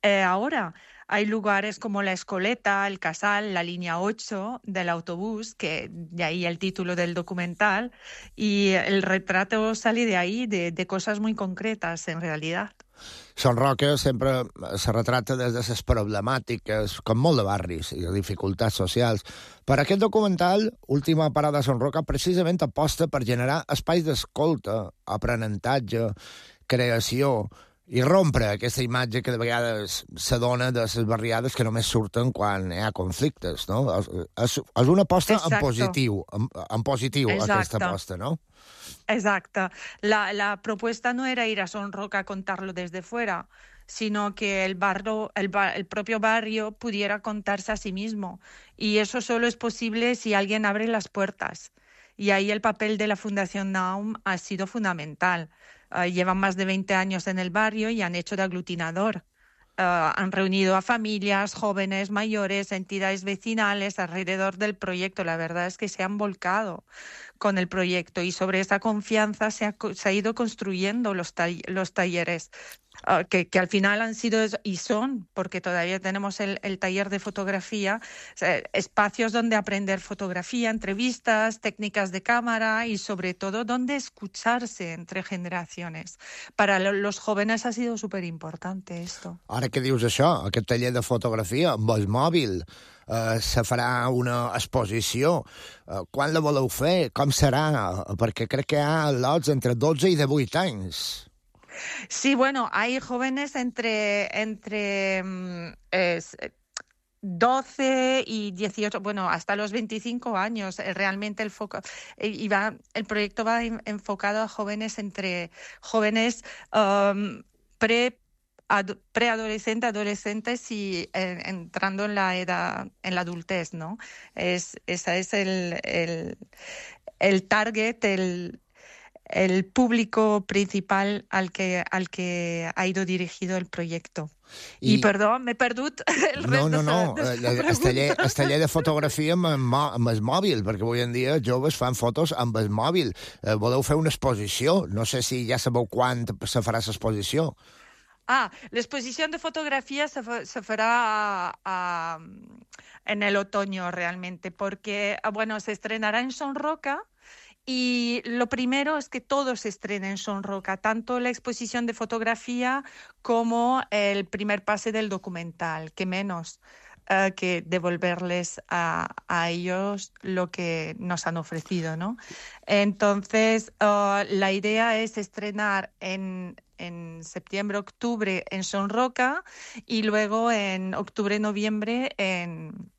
Ahora hay lugares como La Escoleta, El Casal, la línea 8 del autobús, que de ahí el título del documental, y el retrato sale de ahí, de cosas muy concretas, en realidad. Son Roca sempre se retrata des de les problemàtiques, com molt de barris i de dificultats socials. Per aquest documental, Última parada Son Roca, precisament aposta per generar espais d'escolta, aprenentatge, creació, i rompre aquesta imatge que de vegades s'adona de les barriades que només surten quan hi ha conflictes, no? És una aposta en positiu, aquesta aposta, ¿no? Exacto. La propuesta no era ir a Son Roca a contarlo desde fuera, sino que el propio barrio pudiera contarse a sí mismo. Y eso solo es posible si alguien abre las puertas. Y ahí el papel de la Fundación Naum ha sido fundamental. Llevan más de 20 años en el barrio y han hecho de aglutinador. Han reunido a familias, jóvenes, mayores, entidades vecinales alrededor del proyecto. La verdad es que se han volcado con el proyecto y sobre esa confianza se ha ido construyendo los talleres, que al final han sido y son, porque todavía tenemos el taller de fotografía, espacios donde aprender fotografía, entrevistas, técnicas de cámara y sobre todo donde escucharse entre generaciones. Para los jóvenes ha sido súper importante esto. Ara que dius això, aquest taller de fotografia amb el mòbil, se farà una exposició. Quan la voleu fer? Com serà? Perquè crec que hi ha lots entre 12 i 18 anys. Sí, bueno, hay jóvenes entre 12 y 18, bueno, hasta los 25 años. Realmente el proyecto va enfocado a jóvenes preadolescentes, adolescentes y entrando en la edad, en la adultez, ¿no? Esa es el target, el público principal al que ha ido dirigido el proyecto. I perdó, m'he perdut el rest de la pregunta. El taller de fotografia amb el mòbil, perquè avui en dia joves fan fotos amb el mòbil. Voleu fer una exposició? No sé si ja sabeu quan se farà l'exposició. L'exposición de fotografía se fará en el otoño realmente, porque, bueno, se estrenará en Son Roca. Y lo primero es que todo se estrena en Son Roca, tanto la exposición de fotografía como el primer pase del documental, que menos que devolverles a ellos lo que nos han ofrecido, ¿no? Entonces, la idea es estrenar en septiembre, octubre en Son Roca y luego en octubre, noviembre en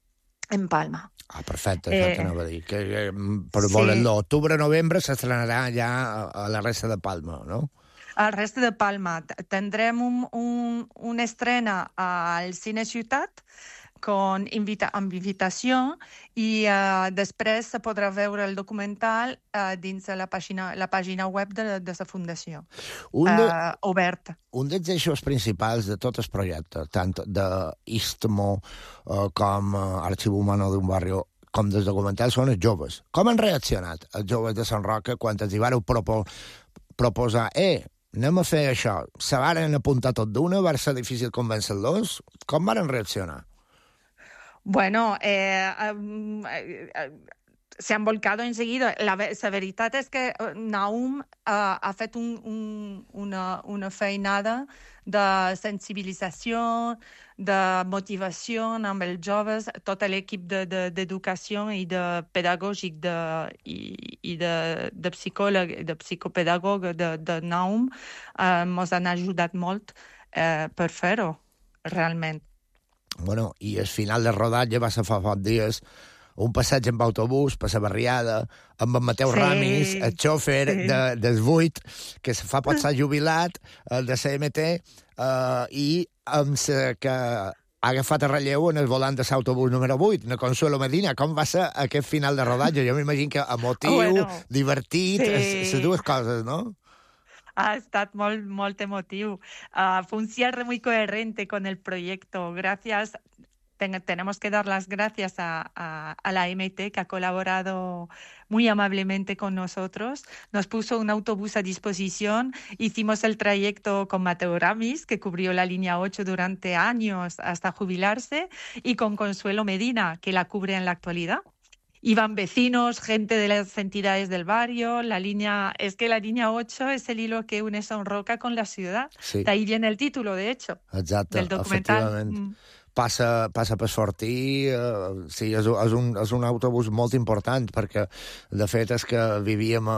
Palma. Perfecte, anava a dir. Que per l'octubre, novembre s'estrenarà ja a la resta de Palma, no? Al resto de Palma. Tendrem una estrena al Cine Ciutat amb invitació i després se podrà veure el documental dins de la pàgina web de la Fundació, oberta. Un dels eixos principals de tot el projecte, tant d'Istmo com Arxiu Humano d'un Barrio, com dels documentals, són els joves. Com han reaccionat els joves de Sant Roca quan els hi vareu proposar anem a fer això? Se varen apuntar tot d'una? Va ser difícil convèncer-los? Com varen reaccionar? Bueno, se han volcado enseguida. La veritat és que Naum ha fet una feinada de sensibilització, de motivació amb els joves. Tot l'equip d'educació i de pedagògic i de psicòleg, de psicopedagog de Naum ens han ajudat molt per fer-ho, realment. Bueno, i al final del rodatge va ser fa pocs dies un passeig amb autobús per la barriada amb en Mateu Ramis, el xòfer dels 8, que fa pot ser jubilat, el de CMT, i amb que ha agafat el relleu en el volant de l'autobús número 8, na Consuelo Medina. Com va ser aquest final de rodatge? Jo m'imagino que emotiu, divertit, les dues coses, no? Ha estat molt emotiu. Fue un cierre muy coherente con el proyecto. Tenemos que dar las gracias a la MT, que ha colaborado muy amablemente con nosotros. Nos puso un autobús a disposición. Hicimos el trayecto con Mateo Ramis, que cubrió la línea 8 durante años hasta jubilarse, y con Consuelo Medina, que la cubre en la actualidad. Iban vecinos, gente de las entidades del barrio. La línea 8 es el hilo que une Son Roca con la ciudad. Sí. De ahí viene el título, de hecho, del documental. Passa per Fortí, sí, és un autobús molt important, perquè de fet és que vivíem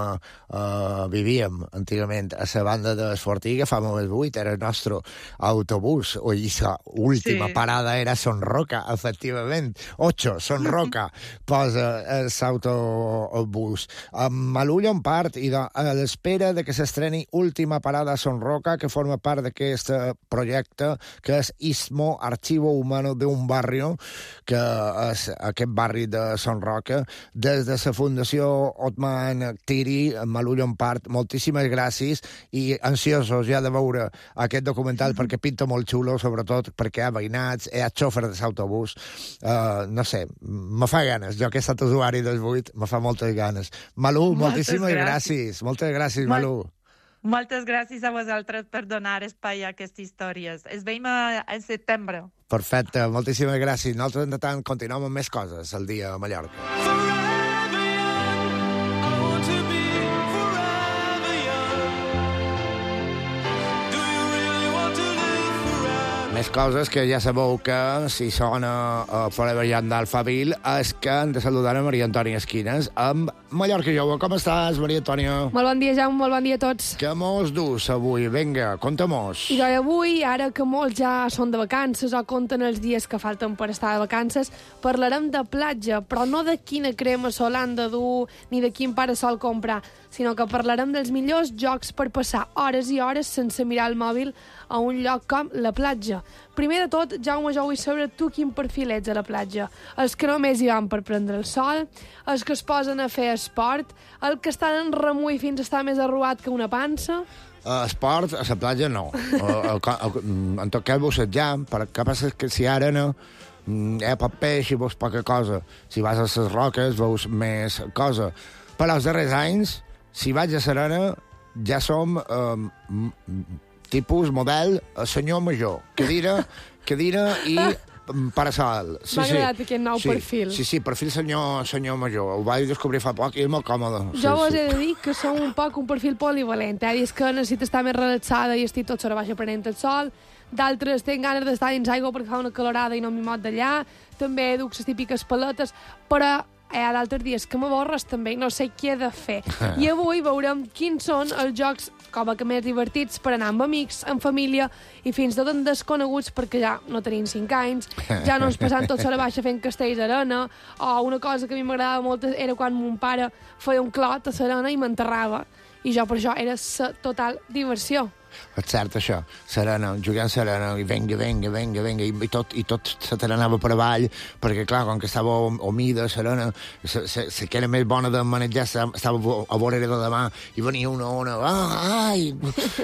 antigament a la banda de Fortí, que fa el 8, era el nostre autobús, i l'última parada era Son Roca, efectivament. 8, Son Roca, posa l'autobús. Malú Llompart, i a l'espera de que s'estreni última parada a Son Roca, que forma part d'aquest projecte, que és Istmo, Archivo Humano de un Barrio, que és aquest barri de Son Roca. Des de la Fundació Otman Tiri, Malú Llompart, moltíssimes gràcies i ansiosos ja de veure aquest documental, perquè pinta molt xulo, sobretot perquè hi ha veïnats, hi ha xòfer de l'autobús. No sé, me fa ganes. Jo que he estat usuari dels 8, me fa moltes ganes. Malú, moltíssimes gràcies. Moltes gràcies, Malú. Moltes gràcies a vosaltres per donar espai a aquestes històries. Es veiem en setembre. Perfecte, moltíssimes gràcies. Nosaltres, de tant, continuem amb més coses el dia a Mallorca. Més coses que ja sabeu que si sona Forever Young d'Alphaville és que hem de saludar a Maria Antònia Esquines amb Mallorca Jove. Com estàs, Maria Antònia? Molt bon dia, Jaume, molt bon dia a tots. Què mos dus avui? Vinga, conta-mos. I avui, ara que molts ja són de vacances o compten els dies que falten per estar de vacances, parlarem de platja, però no de quina crema solar han de dur ni de quin parasol comprar, sinó que parlarem dels millors jocs per passar hores i hores sense mirar el mòbil a un lloc com la platja. Primer de tot, Jaume, jo vull saber tu quin perfil ets a la platja. Els que només hi van per prendre el sol, els que es posen a fer esport, el que estan en remull fins a estar més arrugat que una pansa... Esport, a la platja no. En tot cas, bussejar, perquè què passa que si ara no hi ha poc peix i veus poca cosa. Si vas a les roques veus més cosa. Però els darrers anys, si vaig a Serena, ja som tipus, model, senyor major. Cadira i parasol. M'ha agradat aquest nou perfil. Sí, perfil senyor major. Ho vaig descobrir fa poc i és molt còmode. Jo vos he de dir que som un poc un perfil polivalent. És que necessito estar més relaxada i estic tot sobre baixa prenent el sol. D'altres tinc ganes d'estar dins aigua perquè fa una calorada i no m'hi mot d'allà. També duc les típiques paletes, però hi ha d'altres dies que m'avorres també i no sé què he de fer. I avui veurem quins són els jocs com a que més divertits per anar amb amics, amb família i fins tot en desconeguts perquè ja no tenim 5 anys, ja no ens passam tot a la baixa fent castells d'arena, o una cosa que a mi m'agradava molt era quan mon pare feia un clot a l'arena i m'enterrava. I jo per això era la total diversió. És cert, això. Serena, jugant Serena, i venga, i tot se te n'anava per avall, perquè, clar, com que estava humida, Serena, la que era més bona de manejar estava a vorera de demà, i venia una ona, ai!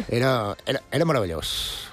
Era meravellós.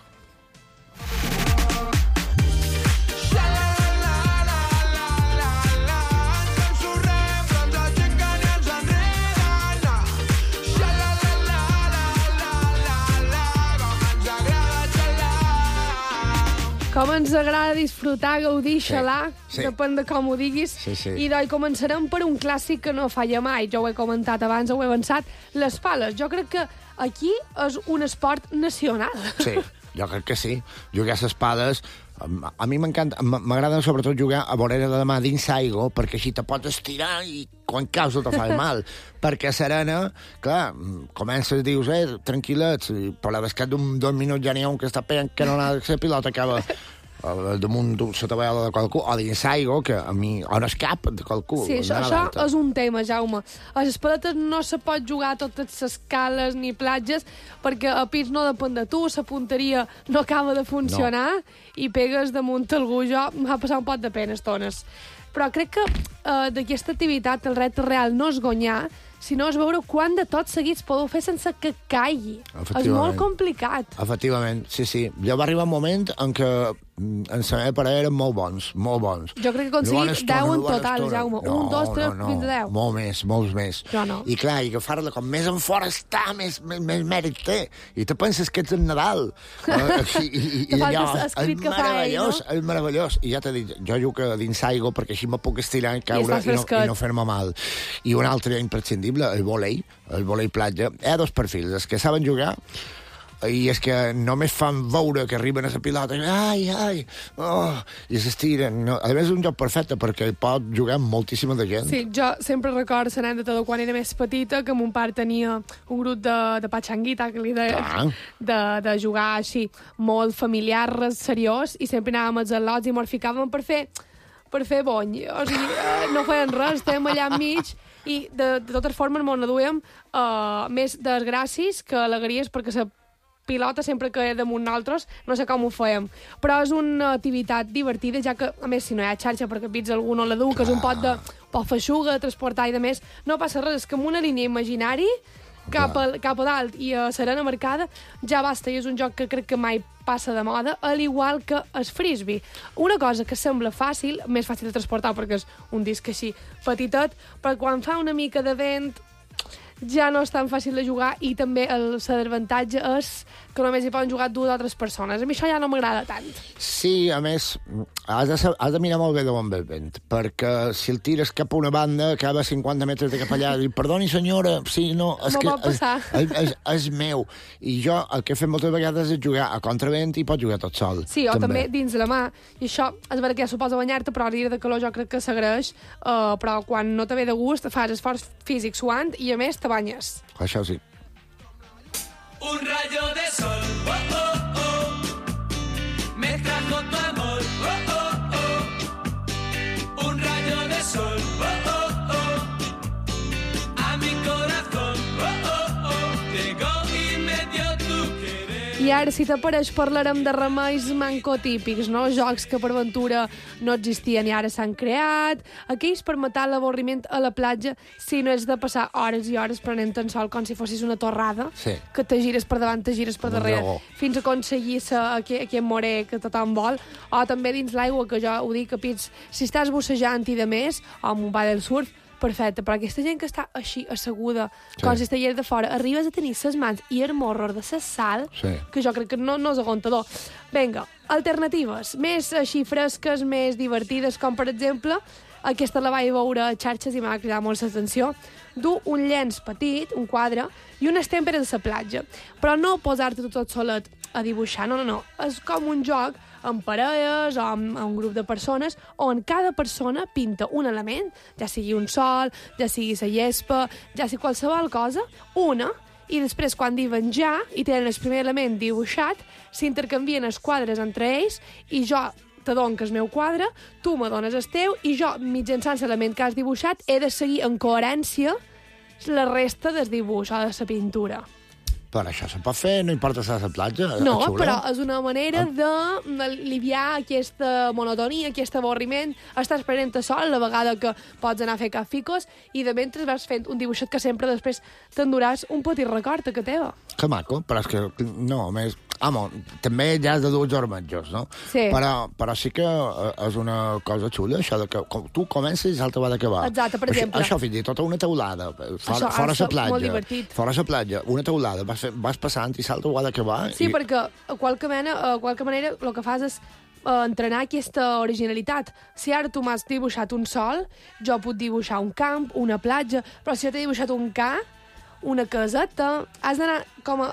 Com ens agrada disfrutar, gaudir, xalar, depèn de com ho diguis. I doncs començarem per un clàssic que no falla mai. Jo ho he comentat abans, ho he avançat. Les pales. Jo crec que aquí és un esport nacional. Sí, jo crec que sí. Jugar a les pales... A mi m'encanta, m'agrada sobretot jugar a vorera de demà dins aigua, perquè així te pots estirar i quan caus no te fa mal. Perquè a Serena, clar, comences, dius, tranquil·lets, però a cap d'un minut ja n'hi ha un que està pegant que no la pilota acaba damunt sota vegada de qualcú, o dins aigua, que a mi, o no és cap de qualcú. Sí, això és un tema, Jaume. A les paletes no se pot jugar a totes les cales ni platges, perquè a pis no depèn de tu, la punteria no acaba de funcionar i pegues damunt algú. Jo m'ha passat un pot de pena estones. Però crec que d'aquesta activitat el repte real no és guanyar, sinó és veure quant de tots seguits podeu fer sense que caigui. És molt complicat. Efectivament, sí. Ja va arribar un moment en què en la meva parella eren molt bons. Jo crec que he aconseguit 10 en total, Jaume. 1, 2, 3, fins a 10. Molts més. Jo no. I clar, i agafar-la com més en fora està, més mèrit té. I te penses que ets en Nadal. I allò, és meravellós. I ja t'he dit, jo jugo dins aigua perquè així me puc estirar i caure i no fer-me mal. I un altre imprescindible, el vòlei platja. Hi ha dos perfils, els que saben jugar i és que només fan veure que arriben a la pilota i s'estiren. A més, és un joc perfecte perquè pot jugar amb moltíssima de gent. Sí, jo sempre recordo l'anècdota de quan era més petita, que mon pare tenia un grup de patxanguita, que li deia, de jugar així, molt familiar, seriós, i sempre anàvem als al·lots i mos ficàvem per fer bony. O sigui, no feien res, estàvem allà enmig i de totes formes mos n'aduíem més desgràcies que alegries, perquè la pilota sempre que damunt nosaltres, no sé com ho fèiem. Però és una activitat divertida, ja que, a més, si no hi ha xarxa perquè pits algú no la du, que és un pot feixuga, de transportar i de més, no passa res, és que amb una línia imaginari cap a dalt i a Serena marcada ja basta, i és un joc que crec que mai passa de moda, al igual que el frisbee. Una cosa que sembla fàcil, més fàcil de transportar perquè és un disc així petitet, però quan fa una mica de vent ja no és tan fàcil de jugar i també el desavantatge és que només hi poden jugar 2 o 3 persones. A mi això ja no m'agrada tant. Sí, a més, has de mirar molt bé d'on ve el vent, perquè si el tires cap a una banda, acaba a 50 metres de cap allà, i perdoni senyora, sí, no, és que és meu. I jo el que he fet moltes vegades és jugar a contravent i pots jugar tot sol. Sí, o també dins la mà. I això, és veritat que ja suposa banyar-te, però a dia de calor jo crec que s'agraeix, però quan no te ve de gust fas esforç físic suant i a més te banyes. Això sí. Un rayo de sol, oh, oh, oh, me trajo tu amor, oh, oh, oh. Un rayo de sol, oh, oh, oh, a mi corazón, oh, oh, oh, llegó y me dio tu querer. I ara, si t'apareix, parlarem de remeis mancotípics, no? Jocs que per ventura no existien i ara s'han creat, aquells per matar l'avorriment a la platja si no és de passar hores i hores prenent en sol com si fossis una torrada, que te gires per davant, te gires per darrere, fins a aconseguir aquest morè que tothom vol, o també dins l'aigua, que jo ho dic, capits, si estàs bussejant i de més, o amb un ball del surf, perfecte, però aquesta gent que està així asseguda, com si estigués de fora, arribes a tenir ses mans i el morro de sa sal, que jo crec que no és aguantador. Vinga, alternatives, més així fresques, més divertides, com per exemple, aquesta la vaig veure a xarxes i m'ha cridat molt l'atenció, dur un llenç petit, un quadre, i unes tèmperes de la platja. Però no posar-te tot solet a dibuixar, no. És com un joc amb parelles o amb un grup de persones on cada persona pinta un element, ja sigui un sol, ja sigui la gespa, ja sigui qualsevol cosa, una, i després quan diuen ja i tenen el primer element dibuixat, s'intercanvien els quadres entre ells i jo te dono el meu quadre, tu me dones el teu i jo, mitjançant l'element que has dibuixat, he de seguir en coherència la resta del dibuix o de la pintura. Però això se pot fer, no importa estar a la platja? No, però és una manera d'aliviar aquesta monotonia, aquest avorriment. Estàs prenent a sol la vegada que pots anar a fer cafficos i de mentre vas fent un dibuixet que sempre després t'enduràs un petit record a que teva. Que maco, però és que no, més... també ja és de dur germanjos, no? Sí. Però sí que és una cosa xula, això de que tu comences i l'altre va d'acabar. Exacte, per exemple. Això fins i tot una teulada, fora la platja. Molt divertit. Fora la platja, una teulada, vas passant i l'altre ho ha d'acabar. Sí, perquè a qualque manera el que fas és entrenar aquesta originalitat. Si ara tu m'has dibuixat un sol, jo puc dibuixar un camp, una platja, però si jo t'he dibuixat un ca, una caseta, has d'anar com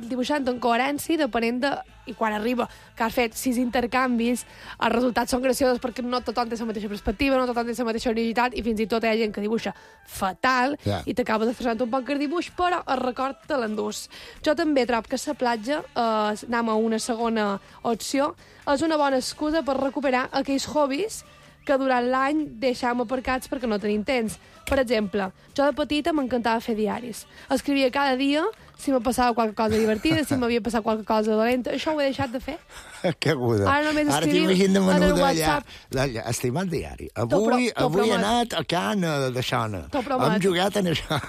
dibuixant en coherència depenent de... I quan arriba que has fet 6 intercanvis, els resultats són graciosos perquè no tothom té la mateixa perspectiva, no tothom té la mateixa originalitat i fins i tot hi ha gent que dibuixa fatal i t'acabes destrossant un poc el dibuix, però el record te l'endús. Jo també trobo que la platja, anem a una segona opció, és una bona excusa per recuperar aquells hobbies que durant l'any deixàvem aparcats perquè no tenim temps. Per exemple, jo de petita m'encantava fer diaris. Escrivia cada dia si me passava qualque cosa divertida, si m'havia passat qualque cosa dolenta. Això ho he deixat de fer. Que aguda. Ara només escrivim en el WhatsApp. Estimat diari, avui he anat a Can de Xona. Hem jugat en això.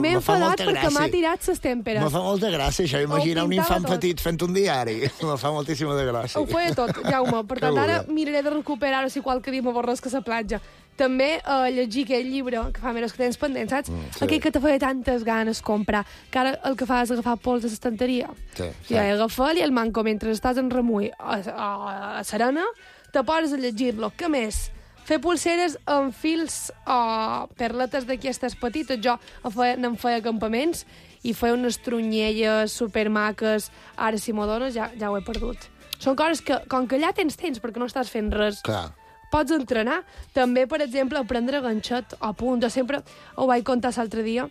M'he enfadat perquè m'ha tirat les tèmperes. Me fa molta gràcia això. Imagina un infant petit fent un diari. Me fa moltíssima de gràcia. Ho feia tot, Jaume. Per tant, ara miraré de recuperar-ho si qualque dia m'avorresca a la platja. També llegir aquell llibre que fa mesos que tens pendent, saps? Sí. Aquell que te feia tantes ganes comprar, que ara el que fa és agafar pols de l'estanteria. Sí. I agafar-li el manco mentre estàs en remull a serena, te poses a llegir-lo. Què més? Fer pulseres amb fils o perletes d'aquestes petites. Jo n'en feia campaments i feia unes trunyelles supermaques. Ara, si m'ho dones, ja ho he perdut. Són coses que, com que allà tens temps, perquè no estàs fent res... Clar. Pots entrenar. També, per exemple, aprendre ganxet o punt. Jo sempre ho vaig contar l'altre dia.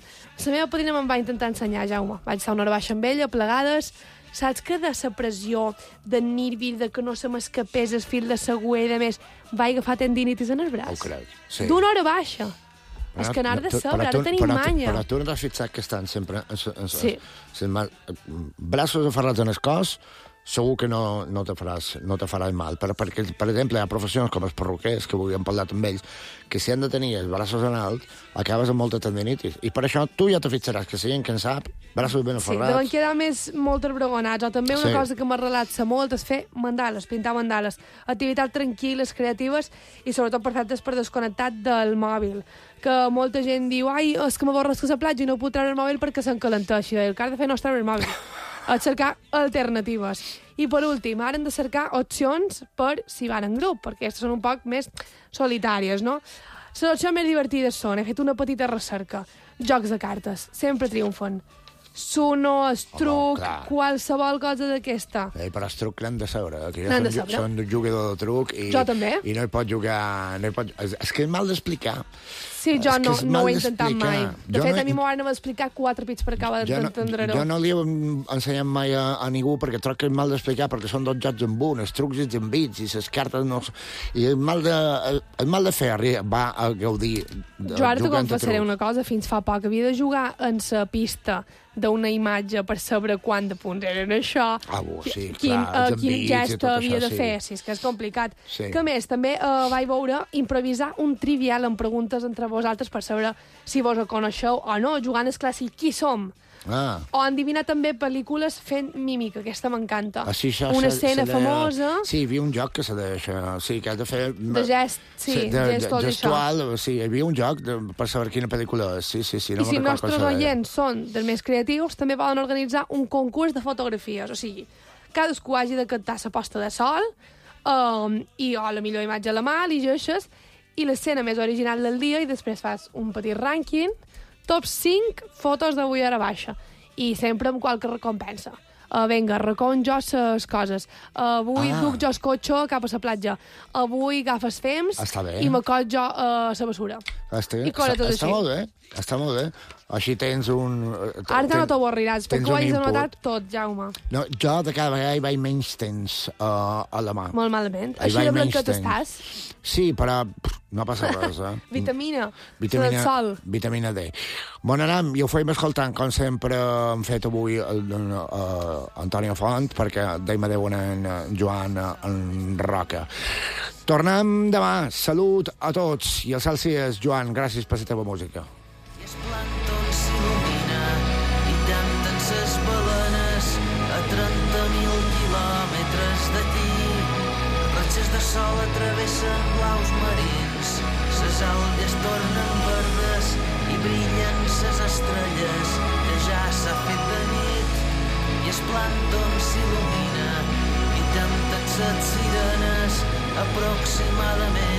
La meva padrina me'n va intentar ensenyar, Jaume. Vaig estar una hora baixa amb ella, plegades. Saps que de la pressió, de nervi, de que no se m'escapés el fil de següer i de més, vaig agafar tendinitis en el braç. Ho crec, sí. D'una hora baixa. És que anar de sobre, ara tenim manya. Però tu no t'has fixat que estan sempre... Sí. Braços aferrats en el cos, segur que no te faràs mal. Perquè, per exemple, hi ha professions com els perruquers, que avui hem parlat amb ells, que si han de tenir els braços en alt, acabes amb molta tendinitis. I per això tu ja te fixaràs que si hi ha qui en sap, braços ben aferrats. Sí, deuen quedar molt arbragonats. O també una cosa que m'ha relaxa molt és fer mandales, pintar mandales. Activitats tranquil·les, creatives i sobretot perfectes per desconnectar del mòbil. Que molta gent diu, ai, és que m'avorres que a la platja i no puc treure el mòbil perquè s'encalenteixi. El que has de fer no és treure el mòbil. Has de cercar alternatives. I per últim, ara hem de cercar opcions per si van en grup, perquè aquestes són un poc més solitàries, no? Les opcions més divertides són, he fet una petita recerca, jocs de cartes, sempre triomfen. Suno, estruc, qualsevol cosa d'aquesta. Però estruc l'hem de saber, que jo soc un jugador de truc i no hi pot jugar... És que és mal d'explicar. Sí, jo no ho he intentat mai. De fet, a mi m'ho van explicar 4 pits per acabar d'entendre-ho. Jo no li he ensenyat mai a ningú perquè troc que és mal d'explicar perquè són 2 jocs en un, els trucs i els bits i les cartes no... I és mal de fer va a gaudir de jugar entre trucs. Jo ara t'ho confessaré una cosa, fins fa poc havia de jugar en la pista d'una imatge per saber quant de punts eren això, quin gest havia de fer. Sí, és que és complicat. Que més, també vaig veure improvisar un trivial amb preguntes entre vosaltres per saber si vos ho coneixeu o no, jugant el clàssic Qui som? O endevinar també pel·lícules fent mímica, aquesta m'encanta. Una escena famosa... Sí, hi havia un joc que s'ha de... Sí, que has de fer... De gest, sí, gestual. Gestual, sí, hi havia un joc per saber quina pel·lícula és. Sí, I si els nostres oients són dels més creatius, també poden organitzar un concurs de fotografies. O sigui, cadascú hagi de cantar la posta de sol i la millor imatge a la mà, li llegeixes, i l'escena més original del dia, i després fas un petit rànquing, top 5 fotos d'avui a la baixa. I sempre amb qualque recompensa. Vinga, recon jo les coses. Avui duc jo el cotxe cap a la platja. Avui agafes fems i m'acot jo a la bessura. Està molt bé. Està molt bé. Així tens un... Ara no t'avorriràs, perquè ho hagis anotat tot, Jaume. No, jo de cada vegada hi vaig menys temps a la mà. Molt malament. Així de blanquet estàs? Sí, però no passa res, Vitamina del sol. Vitamina D. Bon anem, i ho feim escoltant, com sempre hem fet avui Antonio Font, perquè deim adeu en Joan en Roca. Tornem demà. Salut a tots. I el Celsius, Joan, gràcies per la teva música. I el plàncton s'il·lumina i tanten ses balenes a 30.000 quilòmetres d'aquí. Ratxes de sol atravessen blaus marins, ses algues tornen verdes i brillen ses estrelles que ja s'ha fet de nit. I el plàncton s'il·lumina i tanten ses sirenes aproximadament